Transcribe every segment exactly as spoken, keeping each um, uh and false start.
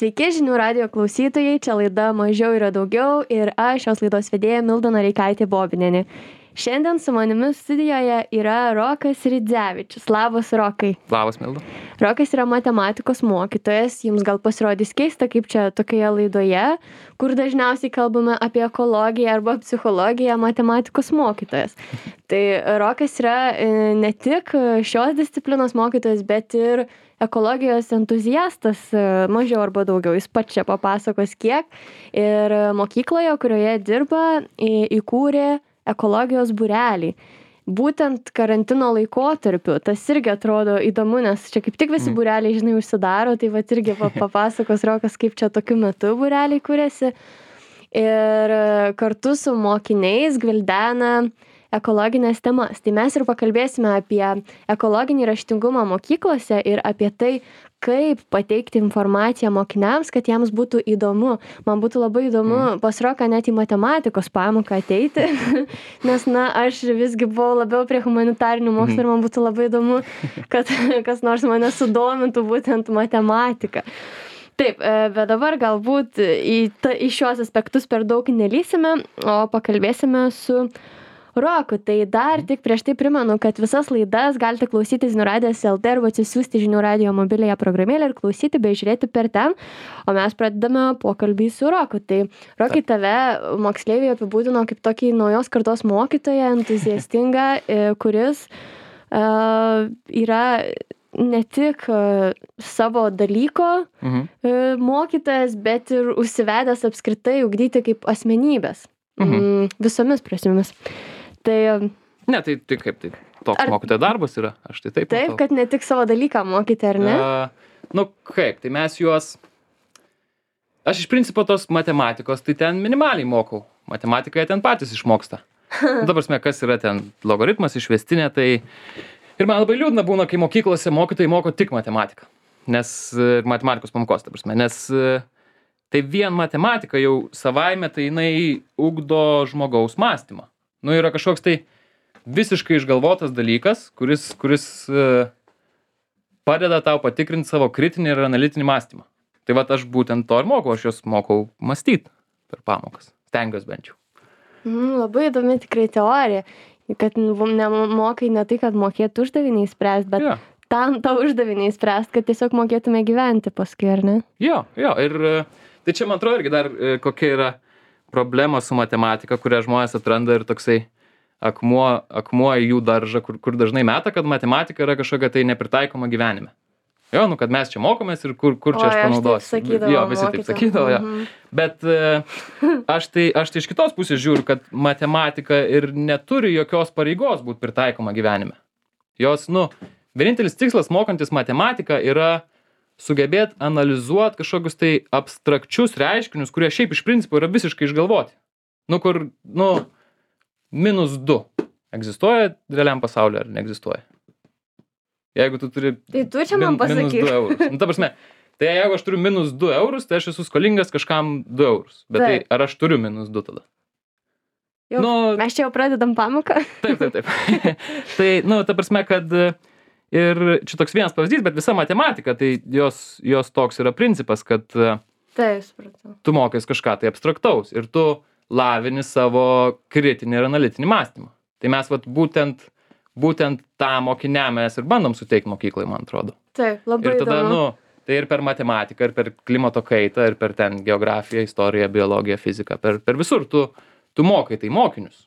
Sveiki žinių radijo klausytojai, čia laida Mažiau yra daugiau ir aš šios laidos vedėja Milda Noreikaitė Bobinienė. Šiandien su manimi studijoje yra Rokas Ridzevičius. Labas, Rokai. Labas, Milda. Rokas yra matematikos mokytojas. Jums gal pasirodys keista, kaip čia tokioje laidoje, kur dažniausiai kalbame apie ekologiją arba psichologiją, matematikos mokytojas. Tai Rokas yra ne tik šios disciplinos mokytojas, bet ir ekologijos entuziastas, mažiau arba daugiau. Jis pats čia papasakos kiek. Ir mokykloje, kurioje dirba, įkūrė ekologijos būrelį. Būtent karantino laikotarpiu, tas irgi atrodo įdomu, nes čia kaip tik visi mm. būreliai, žinai, užsidaro, tai vat irgi papasakos Rokas, kaip čia tokiu metu būreliai kūrėsi. Ir kartu su mokiniais gvildena ekologinės temas. Tai mes ir pakalbėsime apie ekologinį raštingumą mokyklose ir apie tai, kaip pateikti informaciją mokiniams, kad jiems būtų įdomu. Man būtų labai įdomu mm. pas Roką net į matematikos pamoką ateiti, nes, na, aš visgi buvau labiau prie humanitarinių mokslų mm. ir man būtų labai įdomu, kad kas nors mane sudomintų būtent matematika. Taip, bet dabar galbūt į, ta, į šios aspektus per daug nelysime, o pakalbėsime su Roku. Tai dar tik prieš tai primenu, kad visas laidas galite klausyti Žinių radijas lt arba atsisiųsti Žinių radijo mobiliąją programėlę ir klausyti bei žiūrėti per ten, o mes pradedame pokalbį su Roku. Tai Rokai, tave moksleiviai apibūdino kaip tokį naujos kartos mokytoją, entuziastingą, kuris uh, yra ne tik savo dalyko mhm. mokytojas, bet ir užsivedęs apskritai ugdyti kaip asmenybės. Mhm. Visomis prasmėmis. Tai, ne, tai, tai kaip tai toks ar, mokytojo darbas yra, aš tai taip Taip, matau. Kad ne tik savo dalyką mokyti, ar ne? Uh, nu kaip, tai mes juos, aš iš principo tos matematikos, tai ten minimaliai mokau. Matematiką ten patys išmoksta. Nu, ta prasme, kas yra ten logaritmas, išvestinė, tai ir man labai liūdna būna, kai mokyklose mokytojai moko tik matematiką. Nes matematikos pamokos, ta prasme, nes tai vien matematika jau savaime, tai jinai ugdo žmogaus mąstymą. Nu, yra kažkoks tai visiškai išgalvotas dalykas, kuris, kuris uh, padeda tau patikrinti savo kritinį ir analitinį mąstymą. Tai vat aš būtent to ir mokau, aš jos mokau mąstyti per pamokas. Stengiuosi bent jau. Mm, labai įdomi tikrai teorija, kad nemokai ne tai, kad mokėtų uždaviniai spręsti, bet ja. Tam tą uždavinį spręsti, kad tiesiog mokėtume gyventi paskui, ar ne? Jo, jo, ir tai čia man atrodo irgi dar kokia yra problema su matematika, kurią žmonės atranda ir toksai akmuo, akmuo į jų daržą, kur, kur dažnai meta, kad matematika yra kažkokia tai nepritaikoma gyvenime. Jo, nu, kad mes čia mokomės ir kur, kur čia o, aš panaudosiu. Jo, visi taip sakydavo, jo. Mhm. Bet aš tai, aš tai iš kitos pusės žiūriu, kad matematika ir neturi jokios pareigos būti pritaikoma gyvenime. Jos, nu, vienintelis tikslas mokantis matematiką yra sugebėt analizuot kažkokius tai abstrakčius reiškinius, kurie šiaip iš principo yra visiškai išgalvoti. Nu, kur, nu, minus du egzistuoja realiam pasaulyje ar neegzistuoja. Jeigu tu turi tai tu čia man min, minus du eurus. Nu, ta prasme, tai jeigu aš turiu minus du eurus, tai aš esu skolingas kažkam du eurus. Bet taip. Tai ar aš turiu minus du tada? Jau, nu, mes čia jau pradedam pamoką. Taip, taip, taip. Tai, nu, ta prasme, kad ir čia toks vienas pavyzdys, bet visa matematika, tai jos, jos toks yra principas, kad taip, supratau. Tu mokais kažką tai abstraktaus ir tu lavini savo kritinį ir analitinį mąstymą. Tai mes vat, būtent, būtent tą mokiniam mes ir bandom suteikti mokyklai, man atrodo. Taip, labai ir tada, įdomu. Nu, tai ir per matematiką, ir per klimato kaitą, ir per ten geografiją, istoriją, biologiją, fiziką, per, per visur tu, tu mokai tai mokinius.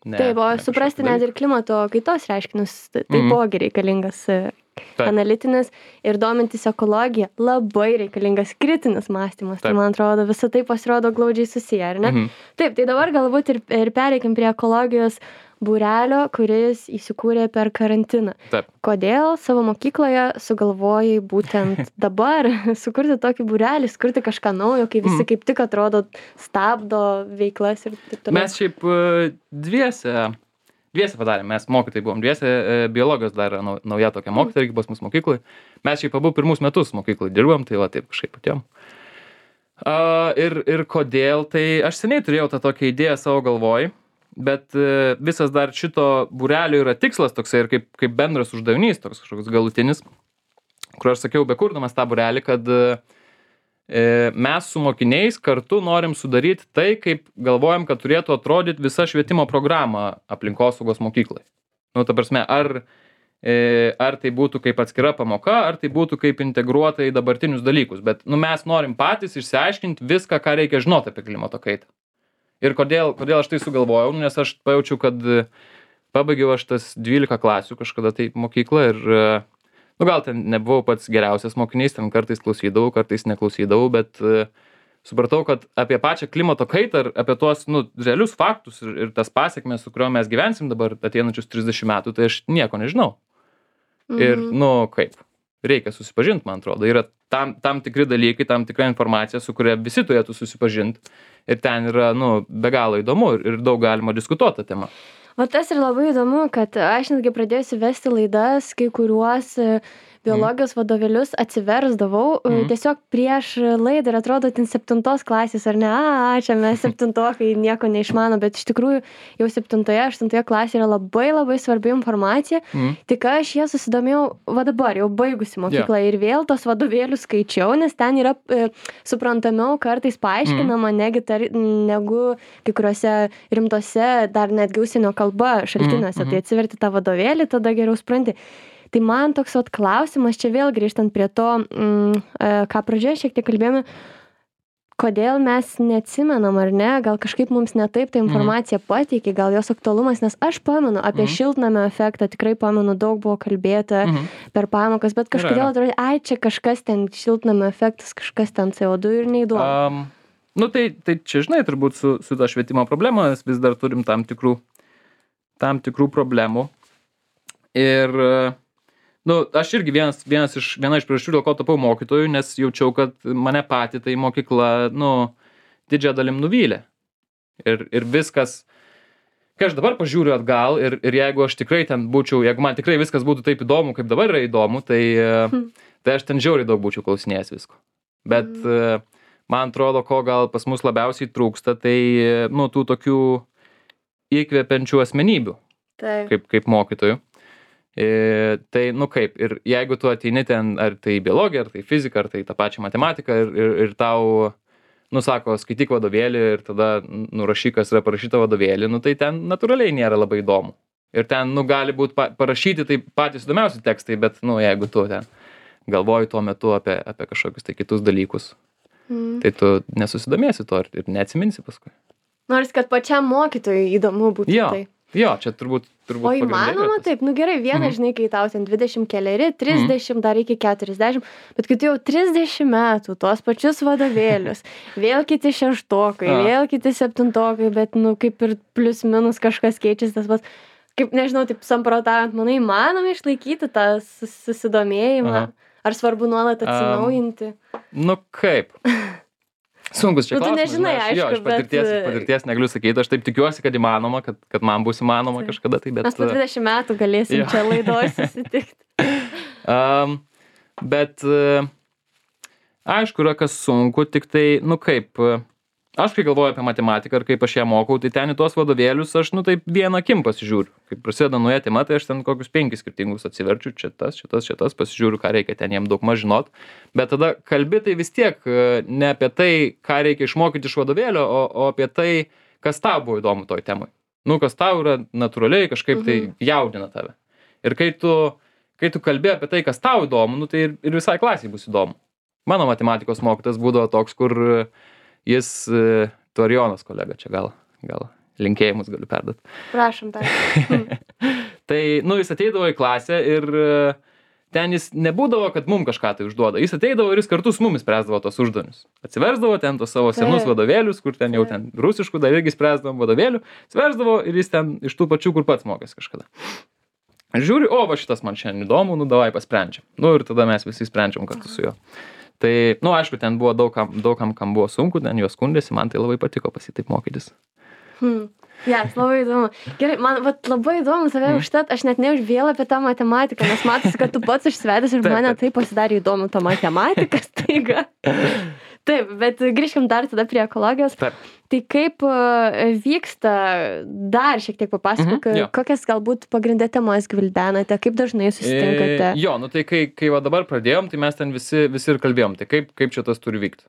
Ne, taip, o suprasti net ir klimato kaitos reiškinius, taipogi mm. reikalingas taip. Analitinis ir domintis ekologija, labai reikalingas kritinis mąstymas. Taip. Tai man atrodo, visą tai pasirodo glaudžiai susiję, ar ne? Mm-hmm. Taip, tai dabar galbūt ir, ir pereikim prie ekologijos būrelio, kuris įsikūrė per karantiną. Taip. Kodėl savo mokykloje sugalvojai būtent dabar sukurti tokį būrelį, sukurti kažką naujo, kai visi mm. kaip tik atrodo stabdo veiklas ir taip toliau? Mes šiaip dviese, dviese padarėm, mes mokytojai buvom dviese, biologijos dar nauja tokia mokytoja, irgi pas mus mokyklai. Mes šiaip abu pirmus metus mokyklai dirbam, tai va taip kažkaip patiem. Uh, ir, ir kodėl, tai aš seniai turėjau tą tokią idėją savo galvoj. Bet visas dar šito būrelio yra tikslas toksai ir kaip, kaip bendras uždavinys, toks kažkoks galutinis, kur aš sakiau, bekurdamas tą būrelį, kad e, mes su mokiniais kartu norim sudaryti tai, kaip galvojam, kad turėtų atrodyti visa švietimo programa aplinkosaugos mokyklai. Nu, ta prasme, ar, e, ar tai būtų kaip atskira pamoka, ar tai būtų kaip integruota į dabartinius dalykus. Bet nu, mes norim patys išsiaiškinti viską, ką reikia žinoti apie klimato kaitą. Ir kodėl, kodėl aš tai sugalvojau, nes aš pajaučiu, kad pabaigiau aš tas dvylika klasių kažkada tai mokyklą ir, nu gal ten nebuvau pats geriausias mokinys, ten kartais klausydavau, kartais neklausydavau, bet uh, supratau, kad apie pačią klimato kaitą ir apie tuos, nu, realius faktus ir, ir tas pasiekmes, su kuriuo mes gyvensim dabar ateinančius trisdešimt metų, tai aš nieko nežinau. Mhm. Ir, nu, kaip, reikia susipažinti, man atrodo. Yra tam, tam tikri dalykai, tam tikra informacija, su kuria visi turėtų susipažinti. Ir ten yra, nu, be galo įdomu ir, ir daug galima diskutuoti tą temą. O tas ir labai įdomu, kad aš netgi pradėjusi vesti laidas, kai kuriuos biologijos mm. vadovėlius atsiversdavau mm. tiesiog prieš laidą ir atrodo ten septintos klasės, ar ne, a, čia mes septintokai nieko neišmano, bet iš tikrųjų jau septintoje, aštuntoje klasėje yra labai labai svarbi informacija, mm. tik aš ją susidomėjau, va dabar jau baigusi mokyklą yeah. ir vėl tos vadovėlius skaičiau, nes ten yra e, suprantamiau kartais paaiškinama mm. negi tar, negu kai kuriuose rimtose, dar netgi užsienio kalba šaltiniuose, mm. tai atsiverti tą vadovėlį, tada geriau supranti. Tai man toks vat klausimas, čia vėl grįžtant prie to, mm, ką pradžioje šiek tiek kalbėjome, kodėl mes neatsimenam ar ne, gal kažkaip mums ne taip ta informacija mm. pateikė, gal jos aktualumas, nes aš pamenu apie mm. šiltnamio efektą, tikrai pamenu, daug buvo kalbėta mm. per pamokas, bet kažkodėl atrodo, ai, čia kažkas ten šiltnamio efektas, kažkas ten C O du ir neįdomu. Um, nu tai, tai čia, žinai, turbūt su, su ta švietimo problema, mes vis dar turim tam tikrų, tam tikrų problemų. Ir nu, aš irgi vienas, vienas iš, viena iš priežasčių, dėl ko tapau mokytoju, nes jaučiau, kad mane patį tai mokykla, nu, didžiąją dalim nuvylė. Ir, ir viskas, kai aš dabar pažiūriu atgal ir, ir jeigu aš tikrai ten būčiau, jeigu man tikrai viskas būtų taip įdomu, kaip dabar yra įdomu, tai, hmm. tai aš ten žiauriai daug būčiau klausinėjęs visko. Bet hmm. man atrodo, ko gal pas mus labiausiai trūksta, tai, nu, tų tokių įkvepiančių asmenybių, kaip, kaip mokytojų. E, tai, nu kaip, ir jeigu tu ateini ten, ar tai biologija, ar tai fizika, ar tai tą pačią matematiką, ir, ir, ir tau, nu sako, skaityk vadovėlį ir tada nurašyk, kas yra parašyta vadovėlį, nu tai ten natūraliai nėra labai įdomu. Ir ten, nu, gali būti pa, parašyti tai patys įdomiausi tekstai, bet, nu, jeigu tu ten galvoji tuo metu apie, apie kažkokius tai kitus dalykus, mm. tai tu nesusidomėsi to ir, ir neatsiminsi paskui. Nors, kad pačiam mokytojui įdomu būtų jo. Tai. Jo, čia turbūt, turbūt o įmanoma taip, nu gerai, viena, mm-hmm. žinai, kai tau ten dvidešimt keleri, trisdešimt, mm-hmm. dar iki keturiasdešimt, bet kai tu jau trisdešimt metų, tuos pačius vadovėlius, vėl kiti šeštokai, A. vėl kiti septintokai, bet, nu, kaip ir plius minus kažkas keičiasi tas pats, kaip, nežinau, taip samprotaujant, manai, įmanoma išlaikyti tą susidomėjimą, Aha. ar svarbu nuolat atsinaujinti? Um, nu, kaip? Sunkus čia nu, klausimas. Nežinai, aišku, jo, iš patirties, bet... patirties negaliu sakyti, aš taip tikiuosi, kad įmanoma, kad, kad man bus įmanoma taip. Kažkada. Tai, bet... Mes po dvidešimt metų galėsim jo. Čia laidoje susitikti. um, bet, uh, aišku, yra kas sunku, tik tai, nu kaip, uh, aš kai galvoju apie matematiką ir kaip aš ją mokau, tai ten į tuos vadovėlius aš, nu taip, vieną akim pasižiūriu. Kai prasideda nauja tema, tai aš ten kokius penkis skirtingus atsiverčiu, čia tas, čia tas, čia tas, pasižiūriu, ką reikia ten jiem daug maž žinot. Bet tada kalbi tai vis tiek ne apie tai, ką reikia išmokyti iš vadovėlio, o, o apie tai, kas tau buvo įdomu toj temai. Nu, kas tau yra natūraliai kažkaip tai jaudina tave. Ir kai tu, kai tu kalbi apie tai, kas tau įdomu, nu, tai ir, ir visai klasiai bus įdomu. Mano matematikos mokytas būdavo toks, kur jis, tu Arijonas kolega, čia gal, gal linkėjimus galiu perduoti. Prašom, tai. Tai, nu, jis ateidavo į klasę ir ten jis nebūdavo, kad mum kažką tai užduoda. Jis ateidavo ir jis kartu su mumis spręsdavo tos uždavinius. Atsiversdavo ten tos savo senus vadovėlius, kur ten jau ten rusiškų dar irgi spręsdavom vadovėlių. Atsiversdavo ir jis ten iš tų pačių, kur pats mokės kažkada. Žiūri, o, va šitas man šiandien įdomu, nu, davai pasprendžiam. Nu, ir tada mes visi sprendžiam kartu su juo. Tai, nu, aišku, ten buvo daug kam, daug kam, kam buvo sunku, ten juos skundėsi, man tai labai patiko pas jį taip mokytis. Hmm. Jas, yes, labai įdomu. Gerai, man vat, labai įdomu tave hmm. užtat, aš net neuž vėl apie tą matematiką, nes matosi, kad tu pats užsvedęs ir taip, mane taip pasidarė įdomu tą matematiką staiga. Taip, bet grįžkim dar tada prie ekologijos. Taip. Tai kaip e, vyksta, dar šiek tiek papasakok, Mhm, jo. kokias galbūt pagrindę temas gvildenate, kaip dažnai susitinkate? E, jo, nu tai kai, kai va dabar pradėjom, tai mes ten visi, visi ir kalbėjom, tai kaip, kaip čia tas turi vykti.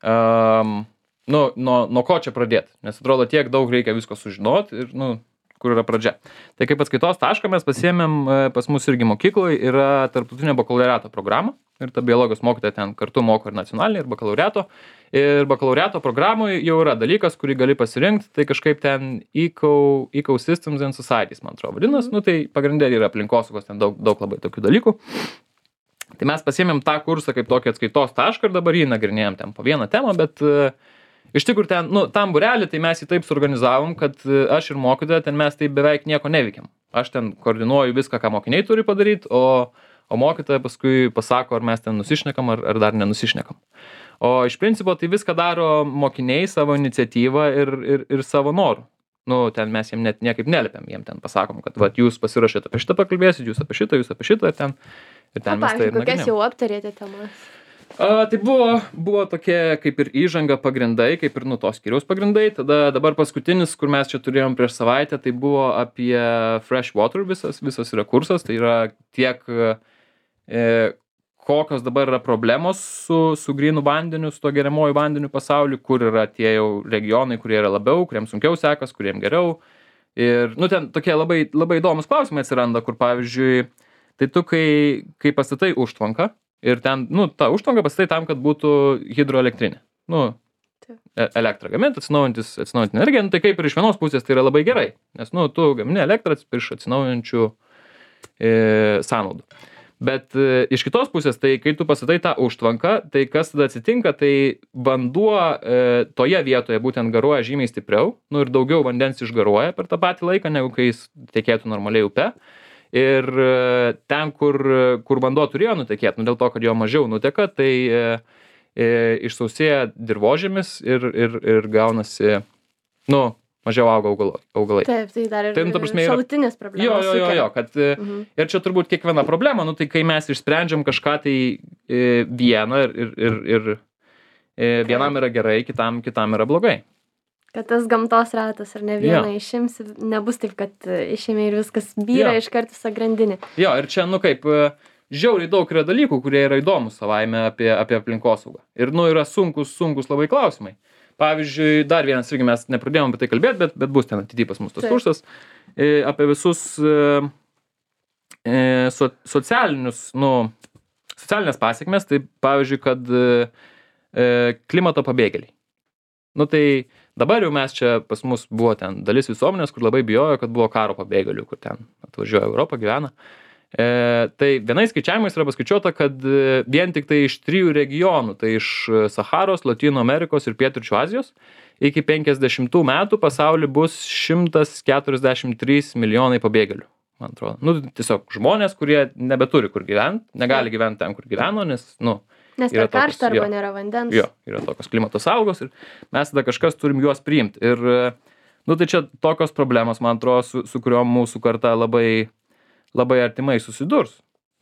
Um, nu, nuo, nuo ko čia pradėti, nes atrodo tiek daug reikia visko sužinoti ir, nu, kur yra pradžia. Tai kaip atskaitos tašką mes pasiėmėm, pas mus irgi mokykloje yra tarptautinė bakalaureato programa ir ta biologijos mokytoja ten kartu moko ir nacionalinį, ir bakalaureato. Ir bakalaureato programoje jau yra dalykas, kurį gali pasirinkti, tai kažkaip ten Eco, Ecosystems and Societies, man atrodo, vadinas, mm. nu tai pagrindė yra aplinkosaugos, ten daug, daug labai tokių dalykų. Tai mes pasiėmėm tą kursą kaip tokį atskaitos tašką ir dabar jį nagrinėjom ten po vieną temą, bet uh, iš tikrųjų ten, nu, tam būrelį, tai mes jį taip suorganizavom, kad aš ir mokytoja, ten mes taip beveik nieko neveikiam. Aš ten koordinuoju viską, ką mokiniai turi padaryti, o, o mokytoja paskui pasako, ar mes ten nusišnekam, ar, ar dar nenusišnekam. O iš principo tai viską daro mokiniai savo iniciatyvą ir, ir, ir savo norų. Nu, ten mes jiem net niekaip nelipiam, jiem ten pasakom, kad vat, jūs pasirašėte apie šitą pakalbėsit, jūs apie šitą, jūs apie šitą, ir ten, ir ten o, mes tai ir kokias nagrinėjam. jau aptarėte temas? A, tai buvo, buvo tokie kaip ir įžanga pagrindai, kaip ir nu tos skyriaus pagrindai. Tada dabar paskutinis, kur mes čia turėjom prieš savaitę, tai buvo apie fresh water visas, visas yra kursas. Tai yra tiek, e, kokios dabar yra problemos su, su grynų vandeniu, su to geriamuoju vandeniu pasauliu, kur yra tie jau regionai, kurie yra labiau, kuriems sunkiau sekas, kuriems geriau. Ir, nu, ten tokie labai, labai įdomus klausimai atsiranda, kur pavyzdžiui, tai tu, kai, kai pastatai užtvanką, ir ten, nu, ta užtvanka pastatai tam, kad būtų hidroelektrinė. Nu, e- elektrą gaminti, atsinaujantis, atsinaujinti energiją, nu, tai kaip ir iš vienos pusės tai yra labai gerai, nes, nu, tu gamini elektrą iš atsinaujančių e, sąnaudų. Bet e, iš kitos pusės, tai kai tu pastatai tą užtvanką, tai kas tada atsitinka, tai vanduo e, toje vietoje būtent garuoja žymiai stipriau, nu, ir daugiau vandens išgaruoja per tą patį laiką, negu kai jis tekėtų normaliai upe. Ir ten, kur, kur vanduo turėjo nutekėti, nu, dėl to, kad jo mažiau nuteka, tai e, e, išsausėja dirvožėmis ir, ir, ir gaunasi, nu, mažiau auga augalai. augalai. Taip, tai dar ir tai, nu, ta prasme, yra... šalutinės problemos. Jo, jo, jo, jo, kad mhm. ir čia turbūt kiekviena problema, nu, tai kai mes išsprendžiam kažką tai e, vieną ir, ir, ir, ir e, vienam yra gerai, kitam, kitam yra blogai. Kad tas gamtos ratas ar ne vieną jo. Išimsi, nebus taip, kad išėmė ir viskas byra iš karto visą grandinį. Jo, ir čia, nu kaip, žiauriai daug yra dalykų, kurie yra įdomus savaime apie, apie aplinkosaugą. Ir, nu, yra sunkus, sunkus labai klausimai. Pavyzdžiui, dar vienas, irgi mes nepradėjom apie tai kalbėti, bet, bet bus ten ateityje pas mus tas kursas, e, apie visus e, so, socialinius, nu, socialinės pasiekmes, tai pavyzdžiui, kad e, klimato pabėgėliai. Nu, tai dabar jau mes čia pas mus buvo ten dalis visuomenės, kur labai bijojo, kad buvo karo pabėgėlių, kur ten atvažiuoja Europą, gyvena. E, tai vienais skaičiavimais yra paskaičiuota, kad vien tik tai iš trijų regionų, tai iš Saharos, Latino Amerikos ir Pietryčių Azijos, iki penkiasdešimtų metų pasauly bus šimtas keturiasdešimt trys milijonai pabėgėlių, man atrodo. Nu, tiesiog žmonės, kurie nebeturi kur gyventi, negali gyventi ten, kur gyveno, nes, nu, Nes per karštą arba nėra vandens. Jo, yra tokios klimato sąlygos ir mes tada kažkas turim juos priimti. Ir, nu, tai čia tokios problemos, man atrodo, su, su kuriuom mūsų karta labai, labai artimai susidurs.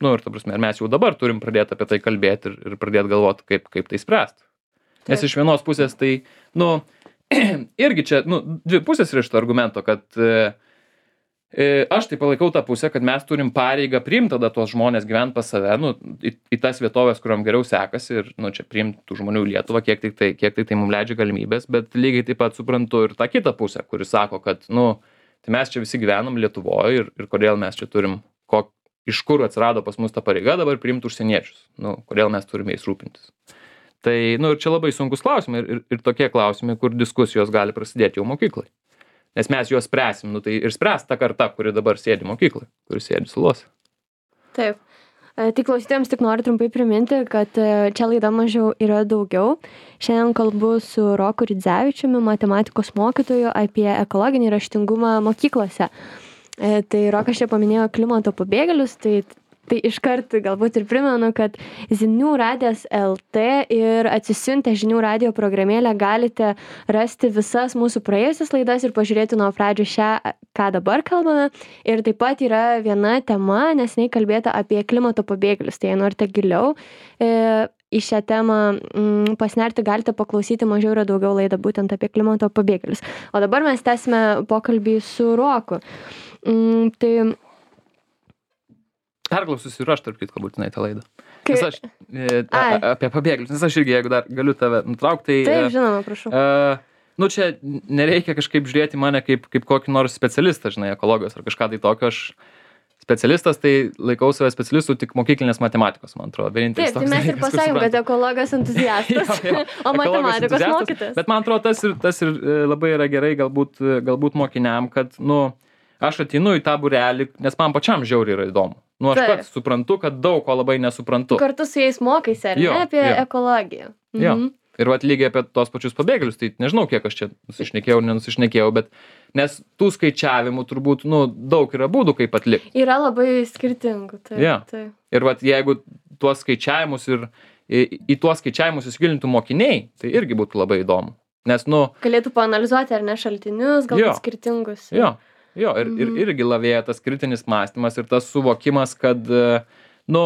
Nu, ir ta prasme, ir mes jau dabar turim pradėti apie tai kalbėti ir, ir pradėti galvoti, kaip, kaip tai spręsti. Nes iš vienos pusės tai, nu, irgi čia, nu, dvi pusės yra šito argumento, kad e, aš tai palaikau tą pusę, kad mes turim pareigą priimti tada tuos žmonės gyventi pas save, nu, į, į tas vietovės, kuriuom geriau sekasi ir, nu, čia priimti tų žmonių į Lietuvą, kiek tik tai, kiek tik tai mums leidžia galimybės, bet lygiai taip pat suprantu ir tą kitą pusę, kuris sako, kad, nu, tai mes čia visi gyvenam Lietuvoje ir, ir kodėl mes čia turim, ko, iš kur atsirado pas mus ta pareiga dabar priimti užsieniečius, nu, kodėl mes turime jais rūpintis. Tai, nu, ir čia labai sunkus klausimai ir, ir, ir tokie klausimai, kur diskusijos gali prasidėti jau mokyklai. Nes mes juos spręsim, nu tai ir spręs ta karta, kuri dabar sėdi mokyklai, kuri sėdi salose. Taip. Tai klausytėjams tik noriu trumpai priminti, kad čia laida mažiau yra daugiau. Šiandien kalbu su Roku Ridzevičiumi, matematikos mokytoju, apie ekologinį raštingumą mokyklose. Tai Rokas čia paminėjo klimato pabėgėlius, tai Tai iškart galbūt ir primenu, kad Zinių radijas L T ir atsisiuntę Žinių radijo programėlę galite rasti visas mūsų praėjusias laidas ir pažiūrėti nuo pradžių šią, ką dabar kalbame. Ir taip pat yra viena tema, neseniai kalbėta apie klimato pabėgėlius. Tai jei norite giliau e, į šią temą mm, pasnerti, galite paklausyti Mažiau yra daugiau laidą būtent apie klimato pabėgėlius. O dabar mes tęsime pokalbį su Roku. Mm, tai... Perklausysiu ir aš, tarp kitko, būtinai tą laidą. Kai... Nes aš e, a, a, apie pabėgėlius, nes aš irgi, jeigu dar galiu tave nutraukti, tai... Taip, žinoma, prašau. Uh, nu, čia nereikia kažkaip žiūrėti mane kaip, kaip kokį nors specialistą, žinai, ekologijos ar kažką tai tokio. Aš specialistas, tai laikau save specialistų tik mokyklinės matematikos, man atrodo. Vienintelis Taip, tai mes ir pasakėm, kad ekologijos entuziastas, jo, jo. O matematikos mokytas. Bet man atrodo, tas ir, tas ir labai yra gerai galbūt, galbūt mokiniam, kad, nu, aš ateinu į tą būrelį, nes man pačiam žiauriai yra įdomu. Nu, aš pats suprantu, kad daug ko labai nesuprantu. Kartu su jais mokaisi, ar ne, apie jo. ekologiją. Mhm. Jo. Ir vat lygiai apie tos pačius pabėgėlius, tai nežinau, kiek aš čia nusišnekėjau, nenusišnekėjau, bet nes tų skaičiavimų turbūt, nu, daug yra būdų, kaip atlikti. Yra labai skirtingų, taip. Ja. taip. Ir vat jeigu tuos skaičiavimus ir į, į tuos skaičiavimus įsigilintų mokiniai, tai irgi būtų labai įdomu. Nes, nu... Galėtų paanalizuoti, ar ne, šaltinius, galbūt jo. skirtingus. Jo, jo ir, Mhm. ir irgi lavėja tas kritinis mąstymas ir tas suvokimas, kad, nu,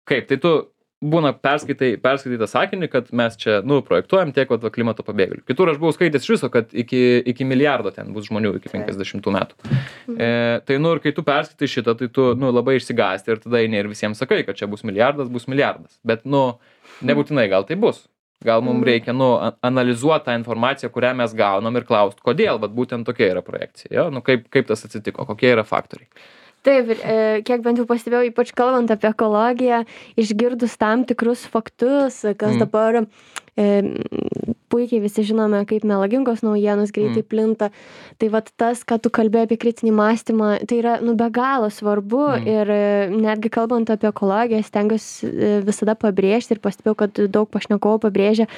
kaip, tai tu būna perskaitai, perskaitai tą sakinį, kad mes čia, nu, projektuojam tiek vat, klimato pabėgėlių. Kitur aš buvau skaitęs iš viso, kad iki, iki milijardo ten bus žmonių iki penkiasdešimtų metų. Mhm. E, tai, nu, ir kai tu perskaitai šitą, tai tu, nu, labai išsigąsti ir tada eini ir visiems sakai, kad čia bus milijardas, bus milijardas. Bet, nu, nebūtinai gal tai bus. Gal mums reikia, nu, analizuoti tą informaciją, kurią mes gaunam ir klausti, kodėl, vat būtent tokia yra projekcija. Jo? Nu, kaip, kaip tas atsitiko, kokie yra faktoriai. Taip, ir e, kiek bent jau pastebėjau, ypač kalbant apie ekologiją, išgirdus tam tikrus faktus, kas mm. dabar e, puikiai visi žinome, kaip melagingos naujienos greitai mm. plinta. Tai vat tas, ką tu kalbėjai apie kritinį mąstymą, tai yra, nu, be galo svarbu mm. ir e, netgi kalbant apie ekologiją, stengiuosi e, visada pabrėžti ir pastebėjau, kad daug pašnekovų pabrėžia,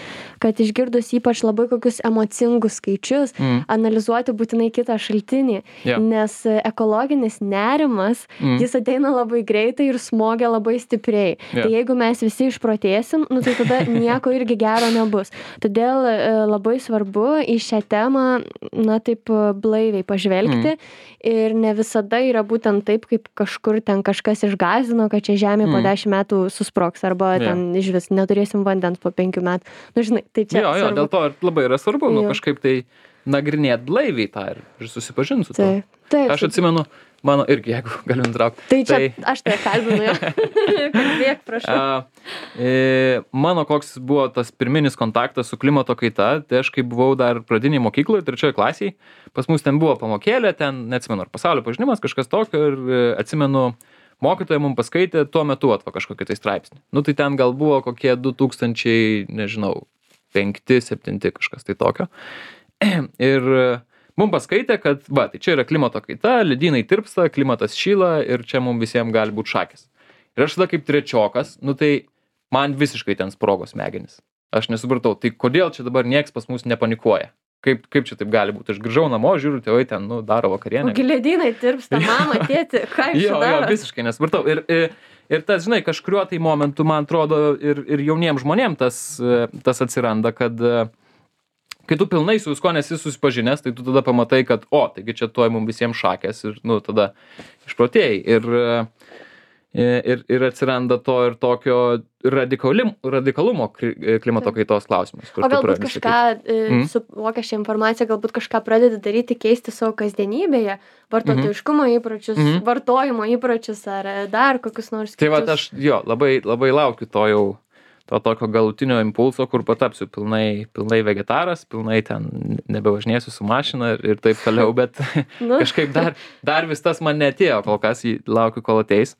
kad išgirdus ypač labai kokius emocingus skaičius, mm. analizuoti būtinai kitą šaltinį, yeah. nes ekologinis nerimas, mm. jis ateina labai greitai ir smogia labai stipriai. Yeah. Tai jeigu mes visi išprotėsim, nu, tai tada nieko irgi gero nebus. Todėl labai svarbu į šią temą, na, taip blaiviai pažvelgti mm. ir ne visada yra būtent taip, kaip kažkur ten kažkas išgąsdino, kad čia žemė mm. po dešimt metų susprogs arba yeah. ten iš vis neturėsim vandens po penkių metų. Nu, žinai, tai čia jo, jo, svarbu. Dėl to ir labai yra svarbu, nu, kažkaip tai nagrinėt blaiviai tą ir, ir susipažinti su to. Taip, taip. Aš atsimenu, mano irgi, jeigu galiu nutraukti. Tai čia tai... aš tai kalbinu jau. Kalbėk, prašau. A, e, mano koks buvo tas pirminis kontaktas su klimato kaita, tai aš kai buvau dar pradiniai mokykloje, trečioje klasėje, pas mus ten buvo pamokėlė, ten, neatsimenu, ar pasaulio pažinimas, kažkas tokio, ir atsimenu, mokytoja mums paskaitė tuo metu atva kažkokį tai straipsnį. Nu, tai ten gal buvo kokie du tūkstančiai, nežinau, penkti, septinti kažkas tai tokio. Ir mums paskaitė, kad, va, tai čia yra klimato kaita, ledynai tirpsta, klimatas šyla ir čia mums visiems gali būti šakės. Ir aš tada kaip trečiokas, nu tai man visiškai ten sprogos smegenys. Aš nesupratau, tai kodėl čia dabar nieks pas mus nepanikuoja? Kaip, kaip čia taip gali būti? Aš grįžau namo, žiūriu, tėvai ten, nu, daro vakarienę. Ogi ledynai tirpsta, mama, tėti, ką jūs jo, darot? Jo, visiškai nesupratau. Ir, ir, ir tas, žinai, kažkuriuo tai momentu, man atrodo, ir, ir jauniems žmonėms tas, tas atsiranda, kad kai tu pilnai su visko nesi susipažinęs, tai tu tada pamatai, kad, o, taigi čia tuoj mums visiems šakės ir, nu, tada išprotėjai. Ir, ir, ir atsiranda to ir tokio radikalim, radikalumo klimato kaitos klausimas. O galbūt kažką, mm. suvokia šią informaciją, galbūt kažką pradedi daryti, keisti savo kasdienybėje, vartotojiškumo įpročius, mm -hmm. vartojimo įpročius ar dar kokius nors kitus. Tai va, aš jo, labai, labai laukiu to jau, to tokio galutinio impulso, kur patapsiu pilnai, pilnai vegetaras, pilnai ten nebevažinėsiu su mašina ir, ir taip toliau, bet nu. kažkaip dar, dar vis tas man neatėjo, kol kas jį laukiu, kol ateis.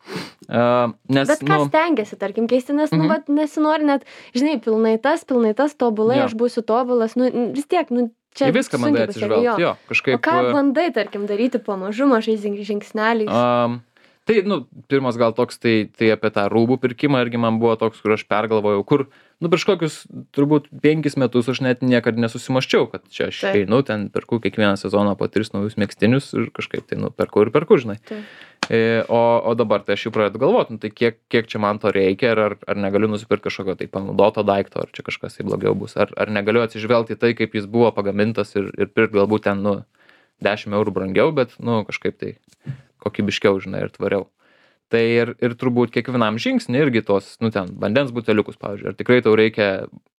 Uh, nes, bet ką nu, stengiasi, tarkim, keisti, nes, mm -hmm. nu, vat, nesinori net, žinai, pilnai tas, pilnai tas, tobulai, ja. aš būsiu tobulas, nu, vis tiek, nu, čia į viską bandai atsižvelgti, jo. jo, kažkaip. O ką bandai, tarkim, daryti pamažu, mažais žingsneliais? Um, Tai, nu, pirmas gal toks, tai, tai apie tą rūbų pirkimą irgi man buvo toks, kur aš pergalvojau, kur, nu, prieš kokius turbūt penkis metus aš net niekada nesusimaščiau, kad čia aš einu, ten perku kiekvieną sezoną po tris naujus megztinius ir kažkaip tai, nu, perku ir perku, žinai. E, o, o dabar tai aš jau pradedu galvoti, nu, tai kiek, kiek čia man to reikia, ar, ar negaliu nusipirkti kažkokio tai panaudoto daikto, ar čia kažkas tai blogiau bus, ar, ar negaliu atsižvelgti tai, kaip jis buvo pagamintas ir, ir pirkti galbūt ten, nu, dešimt eurų brangiau, bet, nu, kažkaip tai kokybiškiau, žinai, ir tvariau. Tai ir, ir turbūt kiekvienam žingsnį irgi tos, nu ten, vandens buteliukus, pavyzdžiui, ar tikrai tau reikia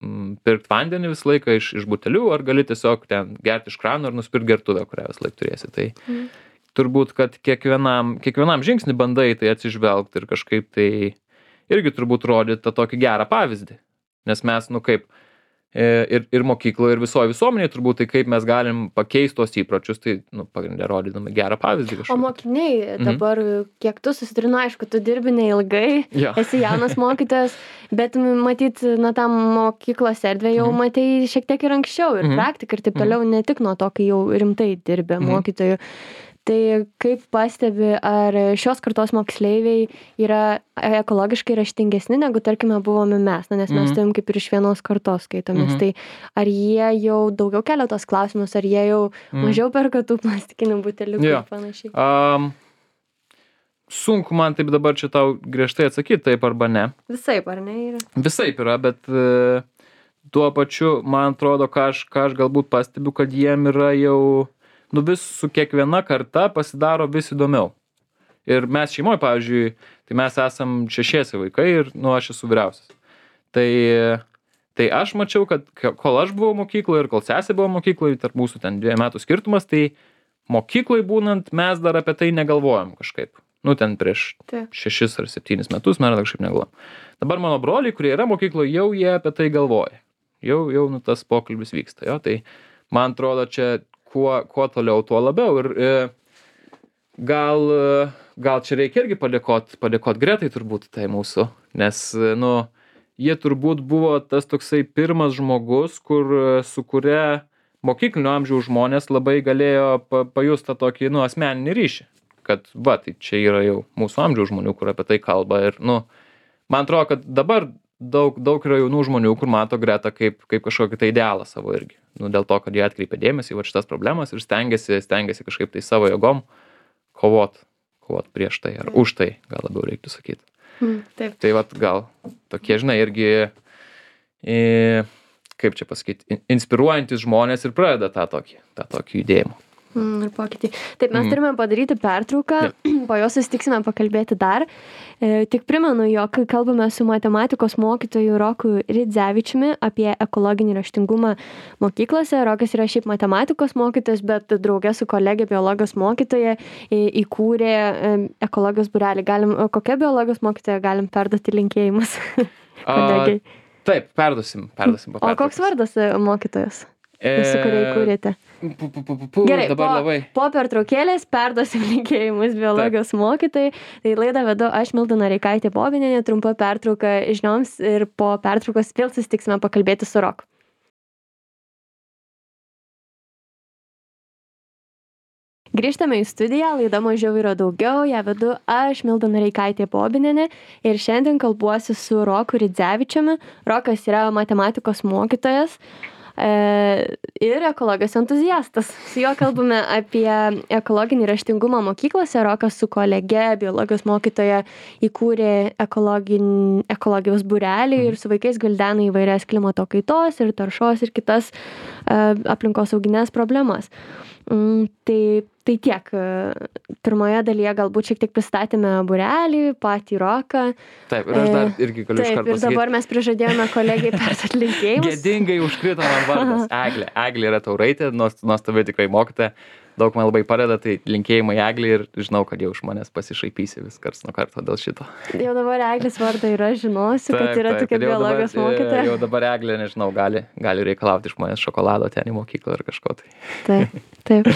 mm, pirkti vandenį visą laiką iš, iš butelių, ar gali tiesiog ten gerti iš krano ir nusipirkti gertuvę, kurią visą laiką turėsi. Tai mm. turbūt, kad kiekvienam, kiekvienam žingsnį bandai tai atsižvelgti ir kažkaip tai irgi turbūt rodyti tą tokį gerą pavyzdį. Nes mes, nu kaip, ir, ir mokykloje, ir visoje visuomenėje turbūt, tai kaip mes galim pakeisti tos įpročius, tai, nu, pagrindė rodydami gerą pavyzdį kažkokį. O mokiniai dabar, mhm. kiek tu susiturinu, aišku, tu dirbi neilgai, ja. Esi jaunas mokytojas, bet matyt, na, tam mokyklos erdvė jau mhm. matei šiek tiek ir anksčiau, ir mhm. praktika, ir taip toliau, mhm. ne tik nuo to, kai jau rimtai dirbė mhm. mokytojų. Tai kaip pastebi, ar šios kartos moksleiviai yra ekologiškai raštingesni, negu, tarkime, buvome mes, na, nes mes mm-hmm. turim kaip ir iš vienos kartos skaitomės. Mm-hmm. Tai ar jie jau daugiau kelia tos klausimus, ar jie jau mm. mažiau perka tų plastikinių buteliukų yeah. ir panašiai? Um, sunku man taip dabar čia tau griežtai atsakyti, taip arba ne. Visaip, ar ne? Yra? Visaip yra, bet uh, tuo pačiu, man atrodo, ką aš, ką aš galbūt pastebiu, kad jiem yra jau nu vis su kiekviena karta pasidaro vis įdomiau. Ir mes šeimoje, pavyzdžiui, tai mes esam šešiesi vaikai ir, nu, aš esu vyriausias. Tai, tai aš mačiau, kad kol aš buvau mokykloje ir kol sesė buvo mokykloje, tarp mūsų ten dviejų metų skirtumas, tai mokykloje būnant mes dar apie tai negalvojom kažkaip. Nu, ten prieš tai. šešis ar septynis metus mes kažkaip negalvojom. Dabar mano broliai, kurie yra mokykloje, jau jie apie tai galvoja. Jau, jau nu, tas pokalbis vyksta. Jo? Tai man atrodo, čia Kuo, kuo toliau, tuo labiau. Ir e, gal, gal čia reikia irgi padėkoti padėkot Gretai turbūt tai mūsų, nes, nu, jie turbūt buvo tas toksai pirmas žmogus, kur, su kuria mokyklinio amžiaus žmonės labai galėjo pa, pajusti tą tokį, nu, asmeninį ryšį. Kad, va, tai čia yra jau mūsų amžiaus žmonių, kur apie tai kalba. Ir, nu, man atrodo, kad dabar daug, daug yra jaunų žmonių, kur mato Gretą kaip, kaip kažkokį tai idealą savo irgi. Nu, dėl to, kad jie atkreipia dėmesį į va šitas problemas ir stengiasi, stengiasi kažkaip tai savo jėgom kovot, kovot prieš tai ar už tai, gal labiau reiktų sakyti. Mm, taip. Tai vat gal tokie, žinai, irgi, e, kaip čia pasakyti, inspiruojantis žmonės ir pradeda tą tokį, tą tokį judėjimą. Mm, ir pokytį. Taip, mes mm. turime padaryti pertrauką, yeah. po jos susitiksime pakalbėti dar. E, tik primenu, jog kalbame su matematikos mokytoju Roku Ridzevičiumi apie ekologinį raštingumą mokyklose. Rokas yra šiaip matematikos mokytojas, bet draugė su kolegė biologijos mokytoja įkūrė ekologijos būrelį. Galim, kokia biologijos mokytoja galim perduoti linkėjimus? A, taip, perduosim, perduosim. O koks vardas mokytojas? Su kuria įkūrėte. Pu, pu, pu, pu, Gerai, dabar po, labai. po pertraukėlės perduosim linkėjimus biologijos Taip. mokytojai. Tai laidą vedu aš, Milda Noreikaitė Bobinienė, trumpa pertrauka žinioms ir po pertraukos vėl susitiksime pakalbėti su Roku. Grįžtame į studiją, laida Mažiau yra daugiau, ją vedu aš, Milda Noreikaitė Bobinienė, ir šiandien kalbuosi su Roku Ridzevičiumi. Rokas yra matematikos mokytojas ir ekologijos entuziastas. Su juo kalbame apie ekologinį raštingumą mokyklose. Rokas su kolege, biologijos mokytoja, įkūrė ekologijos būrelį ir su vaikais gvildena įvairias klimato kaitos ir taršos ir kitas aplinkosauginės problemas. Mm, tai, tai tiek. Pirmoje dalyje galbūt šiek tiek pristatėme būrelį, patį Roką. Taip, ir aš dar irgi galiu iš karto pasakyti. Taip, ir dabar mes prižadėjome kolegiai perduoti linkėjimus. Gėdingai užkrito man vardas. Eglė. Eglė yra tauraitė, nuostabi tikrai mokytoja. Daug man labai padeda, tai linkėjimai Eglė ir žinau, kad jau iš manęs pasišaipysi vis karts nuo karto dėl šito. Jau dabar Eglės vardą yra, žinosiu, taip, kad yra taip, tokia biologijos mokytoja. Jau dabar Eglė, nežinau, gali, gali reikalauti iš manęs šokolado ten į mokyklą ar kažko tai. Taip, taip.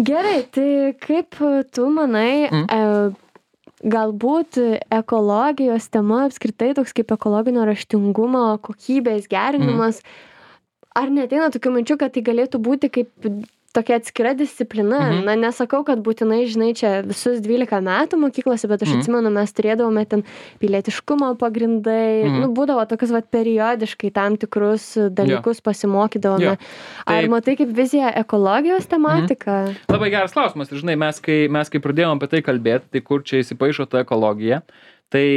Gerai, tai kaip tu manai, mm. e, galbūt ekologijos tema apskritai toks kaip ekologinio raštingumo kokybės gerinimas, mm. ar neateina tokių minčių, kad tai galėtų būti kaip tokia atskira disciplina? Mhm. Na, nesakau, kad būtinai, žinai, čia visus dvylika metų mokyklose, bet aš mhm. atsimenu, mes turėdavome ten pilietiškumo pagrindai, mhm. nu, būdavo tokius, vat, periodiškai tam tikrus dalykus ja. pasimokydavome. Ja. Tai... Ar matai kaip vizija ekologijos tematika? Mhm. Labai geras klausimas. Ir, žinai, mes kai, mes kai pradėjome apie tai kalbėti, tai kur čia įsipaišo ta ekologija, tai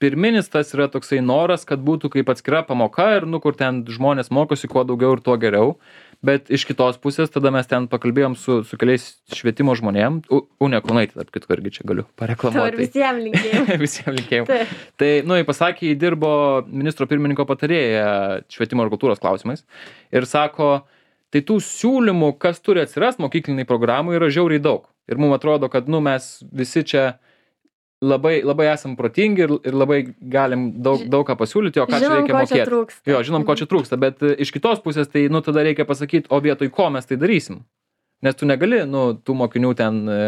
pirminis tas yra toksai noras, kad būtų kaip atskira pamoka ir, nu, kur ten žmonės mokosi kuo daugiau ir tuo geriau. Bet iš kitos pusės tada mes ten pakalbėjom su, su keliais švietimo žmonėm. U, Unė Kaunaitė, tarp kitko, irgi čia galiu To ir pareklamuoti. visiems linkėjau. Visiems linkėjau. Taip. Tai, nu, jis pasakė, jis dirbo ministro pirmininko patarėja švietimo ir kultūros klausimais. Ir sako, tai tų siūlymų, kas turi atsirasti mokykliniai programų, yra žiauriai daug. Ir mums atrodo, kad, nu, mes visi čia labai, labai esam protingi ir, ir labai galim daug, daug ką pasiūlyti, o ką čia Žinom, reikia ko čia mokėti. trūksta. Jo, žinom, ko čia trūksta, bet e, iš kitos pusės, tai, nu, tada reikia pasakyti, o vietoj ko mes tai darysim. Nes tu negali, nu, tų mokinių ten e,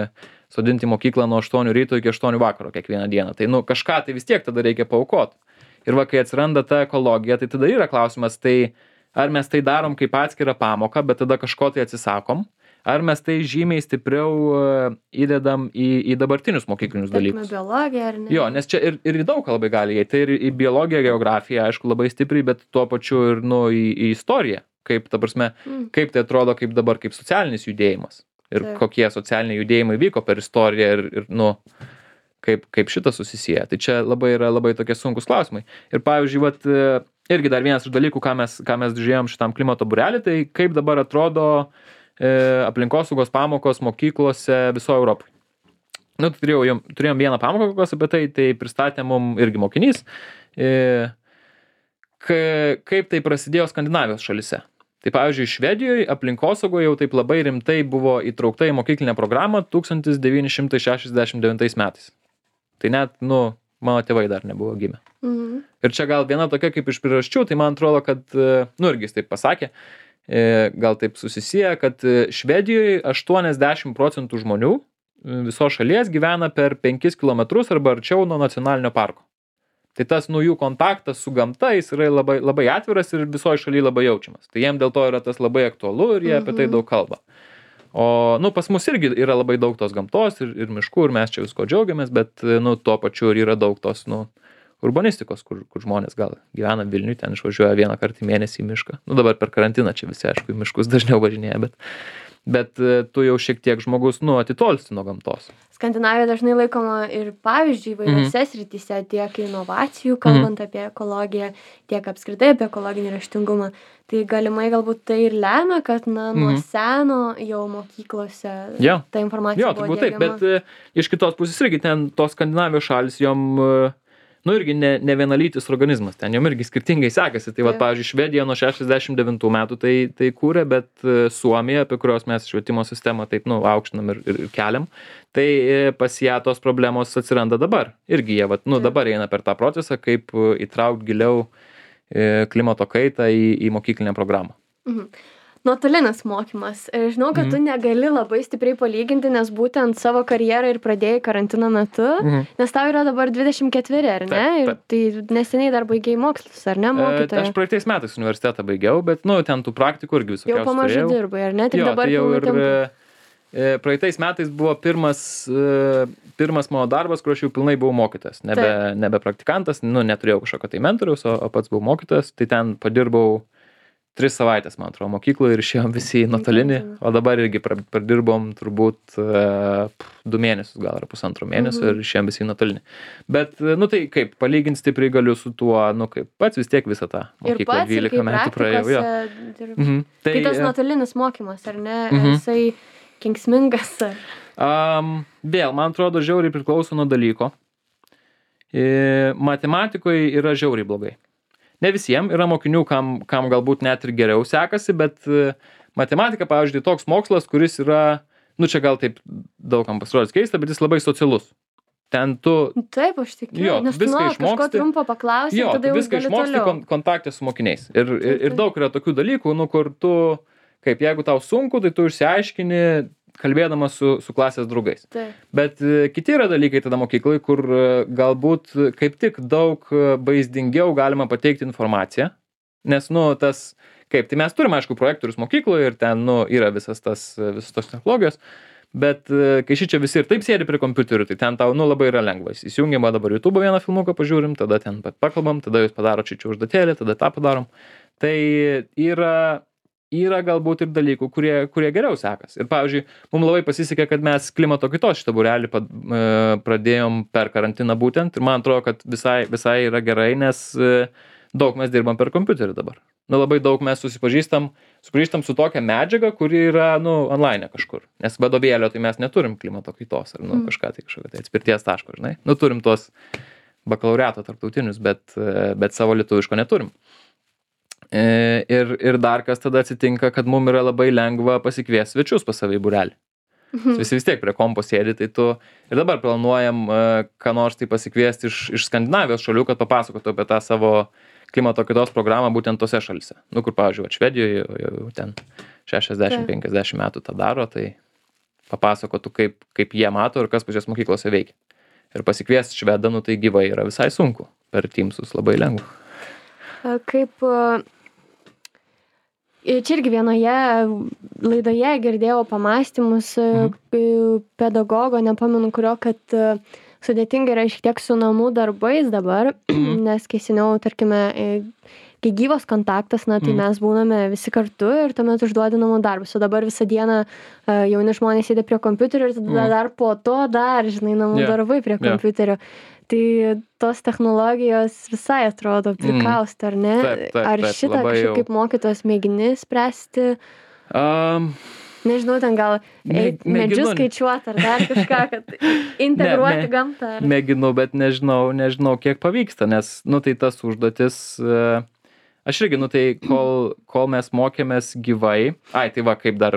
sodinti mokyklą nuo aštuonių ryto iki aštuonių vakaro kiekvieną dieną. Tai, nu, kažką tai vis tiek tada reikia paaukoti. Ir va, kai atsiranda ta ekologija, tai tada yra klausimas, tai ar mes tai darom kaip atskirą pamoką, bet tada kažko tai atsisakom, ar mes tai žymiai stipriau e, įdedam į, į dabartinius mokyklinius Tarkime, dalykus. biologija ar ne? Jo, nes čia ir, ir į daug ką labai gali įeiti. Tai ir į biologiją, geografiją, aišku, labai stipriai, bet tuo pačiu ir, nu, į, į istoriją. Kaip, ta prasme, Mm. kaip tai atrodo kaip dabar, kaip socialinis judėjimas. Ir Taip. kokie socialiniai judėjimai vyko per istoriją ir, ir nu, kaip, kaip šitas susisieja. Tai čia labai yra labai tokie sunkus klausimai. Ir pavyzdžiui, vat, e, irgi dar vienas iš dalykų, ką mes, ką mes žiūrėjom šitam klimato būrelį, tai kaip dabar atrodo e, aplinkosaugos pamokos mokyklose visoje Europoje. Nu, tai turėjau, jom- turėjom vieną pamoką kokios apie tai, tai pristatė mum irgi mokinys, e, ka- kaip tai prasidėjo Skandinavijos šalise. Tai pavyzdžiui, Švedijoje aplinkosaugoje jau taip labai rimtai buvo įtraukta į mokyklinę programą tūkstantis devyni šimtai šešiasdešimt devintais metais. Tai net, nu, mano tėvai dar nebuvo gimę. Mhm. Ir čia gal viena tokia kaip iš priežasčių, tai man atrodo, kad, e, nu, irgi jis taip pasakė, e, gal taip susisieja, kad e, Švedijoje aštuoniasdešimt procentų žmonių e, visos šalies gyvena per penkis kilometrus arba arčiau nuo nacionalinio parko. Tai tas nu jų kontaktas su gamta, jis yra labai, labai atviras ir visoje šalyje labai jaučiamas. Tai jiem dėl to yra tas labai aktualu ir jie apie tai Mhm. daug kalba. O, nu, pas mus irgi yra labai daug tos gamtos ir, ir miškų ir mes čia visko džiaugiamės, bet, nu, tuo pačiu ir yra daug tos, nu, urbanistikos, kur, kur žmonės gal gyvena Vilniui, ten išvažiuoja vieną kartą į mėnesį į mišką. Nu, dabar per karantiną čia visi, aišku, į miškus dažniau važinėja, bet, bet e, tu jau šiek tiek žmogus, nu, atitolsti nuo gamtos. Skandinavija dažnai laikoma ir pavyzdžiui įvairiose srityse, tiek inovacijų, kalbant apie ekologiją, tiek apskritai apie ekologinį raštingumą. Tai galimai galbūt tai ir lemia, kad na, nuo Mhm. seno jau mokyklose Jo. ta informacija Jo, buvo turbūt taip, diegiama. bet e, iš kitos pusės irgi ten tos Skandinavijos šalis, jom, e, nu, irgi ne, ne vienalytis organizmas, ten jom irgi skirtingai sekasi. Tai, va, Taip. pavyzdžiui, Švedija nuo šešiasdešimt devintų metų tai, tai kūrė, bet e, Suomija, apie kurios mes švietimo sistemą taip, nu, aukštinam ir, ir, ir keliam, tai e, pas ją tos problemos atsiranda dabar. Irgi jie, va, nu, Taip. dabar eina per tą procesą, kaip e, įtraukti giliau e, klimato kaitą į, į mokyklinę programą. Mhm. Nuotolinis mokymas. Ir žinau, kad Mhm. tu negali labai stipriai palyginti, nes būtent savo karjerą ir pradėjai karantino metu, Mhm. nes tau yra dabar dvidešimt ketveri, ar ne? Taip, Ir tai neseniai dar baigėjai mokslus, ar ne, E, mokytoja? aš praeitais metais universitetą baigiau, bet, nu, ten tų praktikų irgi visokiausių Jau pamažu turėjau. dirbai, ar ne? Tik Jo, dabar tai jau pilnu ir tempu. e, praeitais metais buvo pirmas, e, pirmas mano darbas, kur aš jau pilnai buvau mokytas. Nebe, Taip. nebe praktikantas, nu, neturėjau kažkokio tai mentoriaus, o, o pats buvau mokytas. Tai ten padirbau tris savaitės, man atrodo, mokykloje ir išėjom visi į nuotolinį. Įtartina. O dabar irgi pra- pradirbom turbūt e, pf, du mėnesius gal ar pusantro mėnesio Mhm. ir išėjom visi į nuotolinį. Bet, e, nu tai kaip, palyginti stipriai galiu su tuo, nu kaip, pats vis tiek visą tą Ir mokyklą pats, ir dvylika kaip metų praėjau. Jo. praktikose dirbi. Mhm. Tai tas e, nuotolinis mokymas, ar ne? Mhm. Jisai kenksmingas. ar- Um, vėl, man atrodo, žiauriai priklauso nuo dalyko. E, matematikoje yra žiauriai blogai. Ne visiems, yra mokinių, kam, kam galbūt net ir geriau sekasi, bet e, matematika, pavyzdžiui, toks mokslas, kuris yra, nu čia gal taip daugam pasirodys keista, bet jis labai socialus. Ten tu, Taip, aš tikiu. Jo, Nes tu viską nuolat kažko išmoksti. trumpo paklausi, jo, tada tu jau viską gali išmoksti toliau. kon kontakte su mokiniais. Ir, ir, ir taip. daug yra tokių dalykų, nu, kur tu, kaip jeigu tau sunku, tai tu išsiaiškini, kalbėdamas su, su klasės draugais. Taip. Bet e, kiti yra dalykai tada mokyklai, kur e, galbūt e, kaip tik daug e, vaizdingiau galima pateikti informaciją. Nes, nu, tas, kaip, tai mes turime, aišku, projektorius mokykloje ir ten, nu, yra visas tas, e, visos tos technologijos. Bet e, kai šičia visi ir taip sėdi prie kompiuterių, tai ten tau, nu, labai yra lengva. Įsijungiam va dabar YouTube vieną filmuką, pažiūrim, tada ten pat pakalbam, tada jūs padaro čia užduotėlį, tada tą padarom. Tai yra, yra galbūt ir dalykų, kurie, kurie geriau sekas. Ir, pavyzdžiui, mums labai pasisekė, kad mes klimato kaitos šitą būrelį pad- e, pradėjom per karantiną būtent. Ir man atrodo, kad visai, visai yra gerai, nes e, daug mes dirbam per kompiuterį dabar. nu, labai daug mes susipažįstam, sugrįžtam su tokia medžiaga, kuri yra, nu, online kažkur. Nes vadovėlio tai mes neturim klimato kaitos ar, nu, Mm. kažką tai kažkokio tai atspirties taško, žinai. Nu, turim tuos bakalaureato tarptautinius, bet, e, bet savo lietuviško neturim. E, ir, ir dar kas tada atsitinka, kad mum yra labai lengva pasikviesti svečius pas save į būrelį. Visi vis tiek prie kompo sėdi, tai tu ir dabar planuojam, e, ką nors tai pasikviesti iš, iš Skandinavijos šalių, kad papasakotų apie tą savo klimato kaitos programą būtent tose šalise. Nu, kur, pavyzdžiui, vat Švedijoje jau, jau ten šešiasdešimt penkiasdešimt metų tą daro, tai papasakotų, kaip, kaip jie mato ir kas pas juos mokyklose veikia. Ir pasikviesti švedą, nu, tai gyvai yra visai sunku. Per Teamsus labai lengva. A, Kaip a, čia irgi vienoje laidoje girdėjau pamastymus a, k- pedagogo, nepamenu kurio, kad a, sudėtinga yra šiek tiek su namų darbais dabar, nes kai seniau, tarkime, e, kai gyvas kontaktas, na, tai Mhm. mes būname visi kartu ir tuomet užduodi namų darbus. O dabar visą dieną a, jauni žmonės sėdi prie kompiuterio ir tada Mhm. dar po to dar, žinai, namų Jo, darbai prie jo. kompiuterio. Tai tos technologijos visai atrodo prikausto, ar ne? Taip, taip, Ar taip, šitą labai kažkaip jau. kaip mokytojas mėgini spręsti? Um, Nežinau, ten gal Mė- eit medžius mėginu. skaičiuoti ar dar kažką, kad integruoti Ne, ne. gamtą. Ar... mėginu, bet nežinau, nežinau, kiek pavyksta, nes, nu, tai tas užduotis, e, aš irgi, nu, tai kol, kol mes mokėmės gyvai, ai, tai va, kaip dar,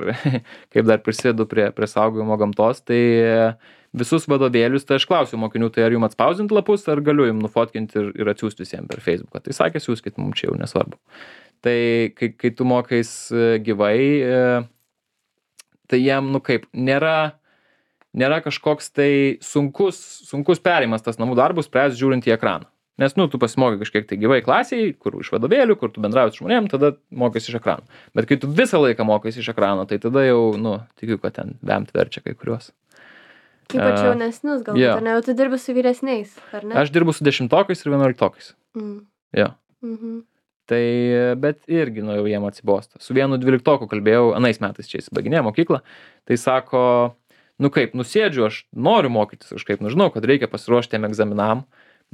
kaip dar prisėdu prie, prie saugojimo gamtos, tai e, visus vadovėlius, tai aš klausiu mokinių, tai ar jums atspausdinti lapus, ar galiu jums nufotkinti ir, ir atsiųsti visiems per Facebooką. Tai sakė, siūskit, mums čia jau nesvarbu. Tai kai, kai tu mokais e, gyvai, e, tai jiem, nu kaip, nėra, nėra kažkoks tai sunkus, sunkus perėjimas tas namų darbus, spręs žiūrint į ekraną. Nes, nu, tu pasimokai kažkiek tai gyvai klasiai, kur iš vadovėlių, kur tu bendrauji su žmonėm, tada mokais iš ekrano. Bet kai tu visą laiką mokais iš ekrano, tai tada jau, nu, tikiu, kad ten bemt verčia kai kuriuos. Ypač A, jaunesnius galbūt, jo. ar ne? Jau tu dirbi su vyresniais, ar ne? Aš dirbu su dešimtokais ir vienuoliktokais. Mm. Jo. Mhm. Tai, bet irgi, nu, jau jiem atsibosta. Su vienu dvyliktoku kalbėjau, anais metais čia įsibaiginėjo mokyklą, tai sako, nu kaip, nusėdžiu, aš noriu mokytis kažkaip, nu, žinau, kad reikia pasiruošti tiem egzaminam,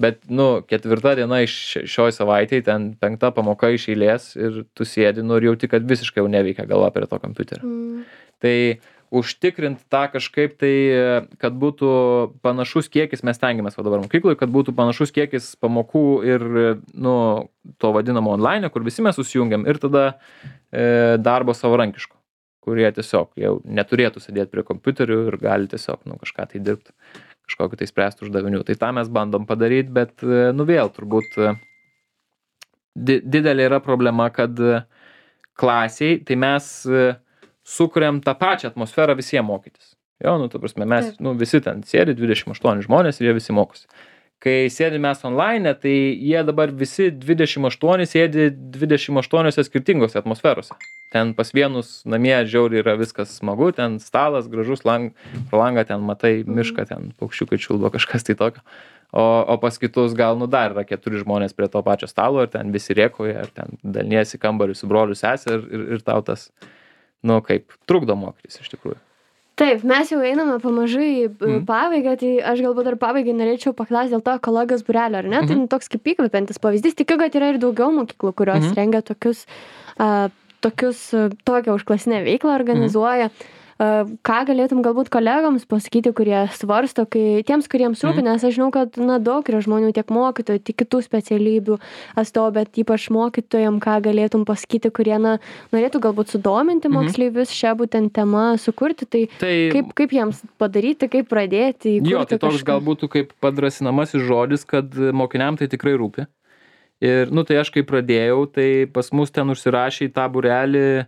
bet, nu, ketvirta diena iš šioj savaitėj, ten penkta pamoka iš eilės ir tu sėdi, nu, ir jauti, kad visiškai jau neveikia galva prie to kompiuterio. Mm. Tai užtikrint tą kažkaip tai, kad būtų panašus kiekis, mes stengiamės va dabar mokykloje, kad būtų panašus kiekis pamokų ir, nu, to vadinamo online, kur visi mes susijungiam, ir tada e, darbo savarankiško, kurie tiesiog jau neturėtų sėdėti prie kompiuterių ir gali tiesiog, nu, kažką tai dirbti, kažkokį tai spręsti uždavinių. Tai tą mes bandom padaryti, bet, e, nu, vėl turbūt e, di didelė yra problema, kad e, klasiai, tai mes e, sukuriam tą pačią atmosferą visiems mokytis. Jo, nu, tu prasme, mes, Taip. nu, visi ten sėdi, dvidešimt aštuoni žmonės ir jie visi mokosi. Kai sėdi mes online, tai jie dabar visi dvidešimt aštuoni sėdi dvidešimt aštuoniose skirtingose atmosferose. Ten pas vienus namie žiauriai yra viskas smagu, ten stalas, gražus, lang, pro langą ten matai mišką, ten paukščiukai čiulba, kažkas tai tokio. O, o pas kitus gal, nu, dar yra keturi žmonės prie to pačio stalo ir ten visi rėkoja, ir ten daliniesi kambariu su broliu sesė ir, ir, ir tau tas, nu, kaip trukdo mokytis iš tikrųjų. Taip, mes jau einame pamažu į Mhm. pabaigą, tai aš galbūt dar pabaigai norėčiau paklausti dėl to ekologijos būrelio, ar ne? Tai Mhm. nu, toks kaip įkvepiantis pavyzdys. Tikiu, kad yra ir daugiau mokyklų, kurios Mhm. rengia tokius, a, tokius, a, tokią užklasinę veiklą organizuoja. A, ką galėtum galbūt kolegoms pasakyti, kurie svarsto, kai tiems, kuriems rūpi, nes aš žinau, kad na, daug yra žmonių, tiek mokytojų, tiek kitų specialybių atstovų, bet ypač mokytojams, ką galėtum pasakyti, kurie na, norėtų galbūt sudominti Mhm. moksleivius šią būtent temą sukurti. Tai Tai Kaip, kaip jiems padaryti, kaip pradėti? jo, įkurti tai toks kažką? gal būtų kaip padrasinamasis žodis, kad mokiniam tai tikrai rūpi. Ir, nu, tai aš kai pradėjau, tai pas mus ten užsirašė į tą būrelį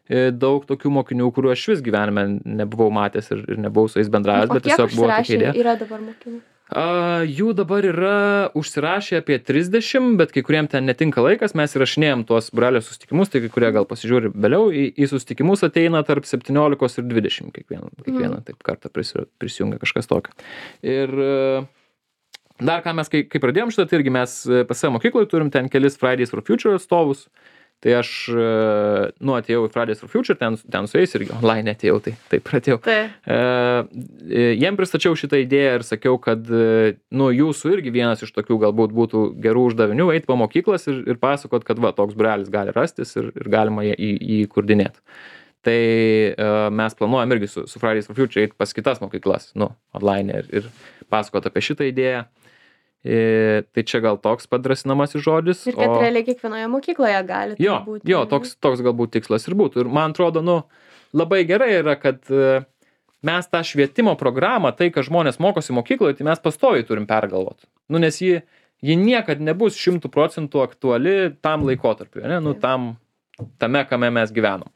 e, daug tokių mokinių, kuriuos aš vis gyvenime nebuvau matęs ir, ir nebuvau su jais bendravęs, O bet kiek tiesiog buvo tokia užsirašė idėja. yra dabar mokinių? A, jų dabar yra užsirašę apie trisdešimt, bet kai kuriem ten netinka laikas, mes įrašinėjom tuos būrelio susitikimus, tai kai kurie gal pasižiūri vėliau, į, į susitikimus ateina tarp septyniolikos ir dvidešimt kiekvieną, kiekvieną taip kartą prisi- prisijungia kažkas tokio. Ir e, dar ką mes, kai, kai pradėjom šitą, tai irgi mes e, pas savo mokykloje turim ten kelis Fridays for Future atstovus, Tai aš, nu, atėjau į Fridays for Future, ten, ten su jais irgi online atėjau, tai taip pradėjau. Tai. E, jiem pristačiau šitą idėją ir sakiau, kad, nu, jūsų irgi vienas iš tokių galbūt būtų gerų uždavinių eiti po mokyklas ir, ir pasakot, kad va, toks būrelis gali rastis ir, ir galima jį įkurdinėti. Tai e, mes planuojam irgi su, su Fridays for Future eiti pas kitas mokyklas, nu, online ir, ir pasakot apie šitą idėją. E, tai čia gal toks padrasinamasis žodis. Ir kad o... realiai kiekvienoje mokykloje gali tai jo, būti. Jo, toks, toks galbūt tikslas ir būtų. Ir man atrodo, nu, labai gerai yra, kad e, mes tą švietimo programą, tai, kad žmonės mokosi mokykloje, tai mes pastoviai turim pergalvoti. Nu, nes ji, ji niekad nebus šimtų procentų aktuali tam laikotarpiu, ne? Nu, tam, tame, kame mes gyvenom.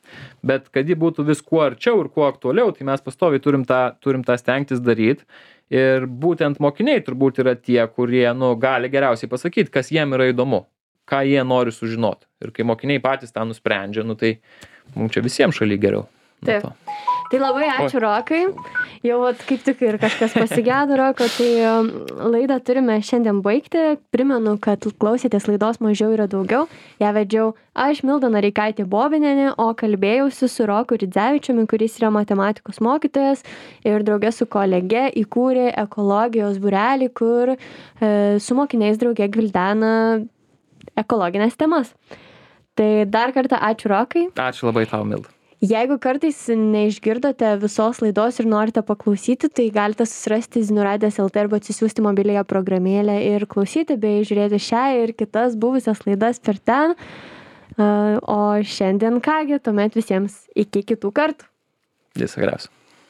Bet kad ji būtų vis kuo arčiau ir kuo aktualiau, tai mes pastoviai turim tą, turim tą stengtis daryti. Ir būtent mokiniai turbūt yra tie, kurie, nu, gali geriausiai pasakyti, kas jiem yra įdomu, ką jie nori sužinoti. Ir kai mokiniai patys tą nusprendžia, nu, tai mums čia visiems šaly geriau. Taip. Tai labai ačiū, Rokai. Jau vat, kaip tik ir kažkas pasigėdo, Roko, tai laidą turime šiandien baigti. Primenu, kad klausėtės laidos Mažiau yra daugiau. Ją vedžiau aš, Milda Noreikaitė Bobinienė, o kalbėjausi su Roku Ridzevičiumi, kuris yra matematikos mokytojas ir draugė su kolege įkūrė ekologijos būrelį, kur e, su mokiniais draugė gvildena ekologinės temas. Tai dar kartą ačiū, Rokai. Ačiū labai tau, Milda. Jeigu kartais neišgirdote visos laidos ir norite paklausyti, tai galite susirasti Zinių radijas lt arba atsisiųsti mobiliąją programėlę ir klausyti bei žiūrėti šią ir kitas buvusias laidas per ten. O šiandien kągi, tuomet visiems iki kitų kartų. Viso geriausio.